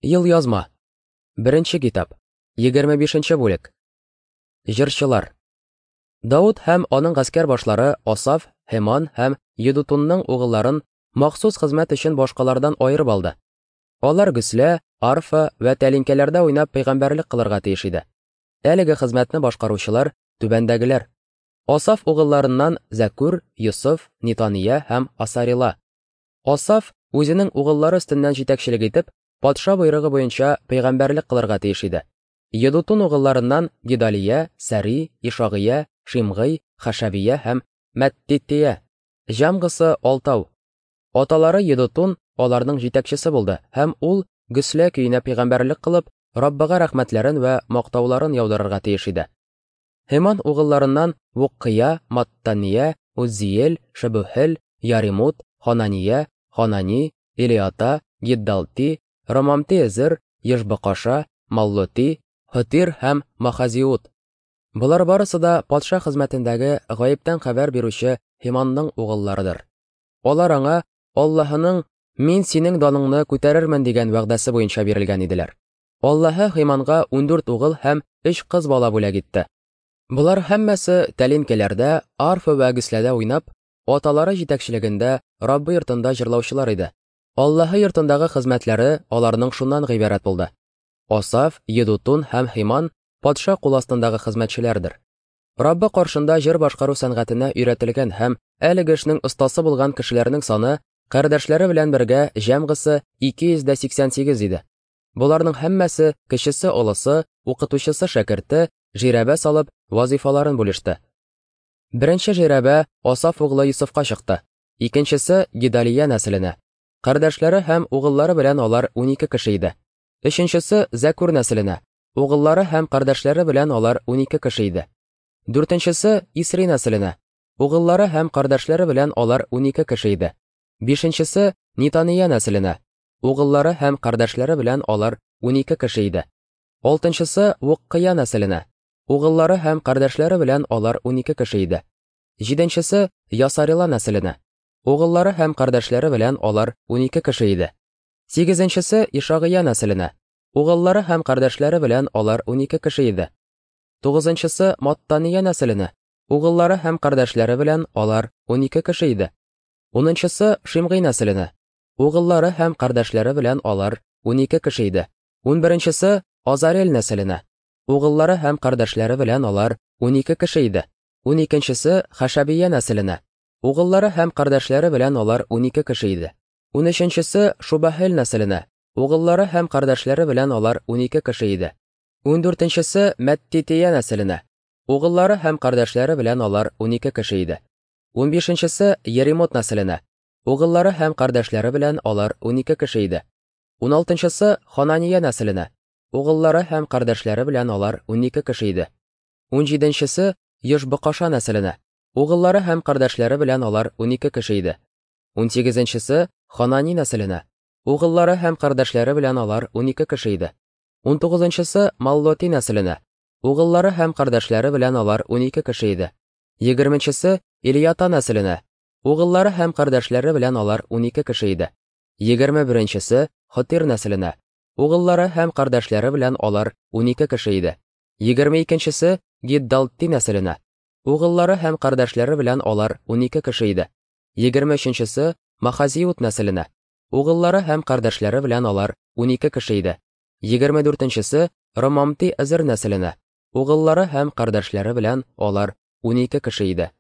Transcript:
Елъязма. Беренче китап. 25 бүлек. Җырчылар. Давыт һәм аның гаскәр башлары Асаф, Һеман һәм Едутунның угылларын махсус хезмәт өчен башкалардан аерып алды. Алар гөслә, арфа вә тәлинкәләрдә уйнап пәйгамбәрлек кылырга тиеш иде. Әлеге хезмәтне башкаручылар түбәндәгеләр: Асаф угылларыннан Зәкүр, Йосыф, Нитания һәм Асарила. Асаф үзенең угыллары өстеннән җитәкчелек итеп, патша боерыгы буенча пәйгамбәрлек кылырга тиеш иде. Едутун угылларыннан Гедалия, Сәри, Ишагыя, Шимгый, Хашавия һәм Мәттития. Җәмгысы алтау. Аталары Едутун аларның җитәкчесе булды һәм ул гөслә көенә пәйгамбәрлек кылып, Раббыга рәхмәтләрен вә мактауларын яудырырга тиеш иде. Һеман угылларыннан Вуккыя, Маттания, Уззиел, Шебухел, Яримут, Ханания, Ханани, Илиата, Гиддалти, Ромамти-Эзер, Ешбакаша, Маллоти, Хытир һәм Махазиут. Болар барысы да патша хезмәтендәге гаептән хәбәр бирүче Һиманның угылларыдыр. Алар аңа Аллаһының «Мин синең даныңны күтәрермен» дигән вәгъдәсе буенча бирелгән иделәр. Аллаһы Һиманга 14 угыл һәм 3 кыз бала бүләк итте. Болар һәммәсе тәлинкәләрдә, арфа вә гөсләдә уйнап, аталары җитәкчелегендә Раббы йортында җырлаучылар иде. Аллаһы йортындагы хезмәтләре аларның шуннан гыйбарәт булды. Асаф, Едутун һәм Һиман патша кул астындагы хезмәтчеләрдер. Раббы каршында җыр башкару сәнгатенә өйрәтелгән һәм әлеге эшнең остасы булган кешеләрнең саны кардәшләре белән бергә җәмгысы 288 иде. Боларның һәммәсе кечесе олысы, укытучысы шәкерте, жирәбә салып, вазифаларын бүлеште. Беренче жирәбә Асаф углы Йосыфка чыкты. Икенчесе Гедалия нәселенә. Кардәшләре һәм угыллары белән алар 12 кеше иде. Өченчесе Зәкүр нәселенә. Угыллары һәм кардәшләре белән алар 12 кеше иде. Дүртенчесе Исри нәселенә. Угыллары һәм кардәшләре белән алар 12 кеше иде. Бишенчесе Нитания нәселенә. Угыллары һәм кардәшләре белән алар 12 кеше иде. Алтынчысы Вуккыя нәселенә. Угыллары һәм кардәшләре белән алар 12 кеше иде. Җиденчесе Ясарила нәселенә. Угыллары һәм кардәшләре белән алар 12 кеше иде. Сигезенчесе Ишагыя нәселенә. Угыллары һәм кардәшләре белән алар 12 кеше иде. Тугызынчысы Маттания нәселенә. Угыллары һәм кардәшләре белән алар 12 кеше иде. Унынчысы Шимгый нәселенә. Угыллары һәм кардәшләре белән алар 12 кеше иде. Унберенчесе Азарел нәселенә. Угыллары һәм кардәшләре белән алар 12 кеше иде. Уникенчесе Хашабия нәселенә. Угыллары һәм кардәшләре белән алар 12 кеше иде. Унөченчесе Шубахел нәселенә. Угыллары һәм кардәшләре белән алар 12 кеше иде. Ундүртенчесе Мәттития нәселенә. Угыллары һәм кардәшләре белән алар 12 кеше иде. Унбишенчесе Еремот нәселенә. Угыллары һәм кардәшләре белән алар 12 кеше иде. Уналтынчысы Ханания нәселенә. Угыллары һәм кардәшләре белән алар 12 кеше иде. Унҗиденчесе Йошбыкаша нәселенә. Угыллары һәм кардәшләре белән алар 12 кеше иде. Унсигезенчесе Ханани нәселенә. Угыллары һәм кардәшләре белән алар 12 кеше иде. Унтугызынчысы Маллоти нәселенә. Угыллары һәм кардәшләре белән алар 12 кеше иде. Егерменчесе Илията нәселенә. Угыллары һәм кардәшләре белән алар 12 кеше иде. Егерме беренчесе Хатир нәселенә. Угыллары һәм кардәшләре белән алар 12 кеше иде. 22нчесе Гиддалти нәселенә. Угыллары һәм кардәшләре белән алар 12 кеше иде. 23нчесе Махазиут нәселенә. Угыллары һәм кардәшләре белән алар 12 кеше иде. 24нчесе Ромамти Әзер нәселенә. Угыллары һәм кардәшләре белән алар 12 кеше иде.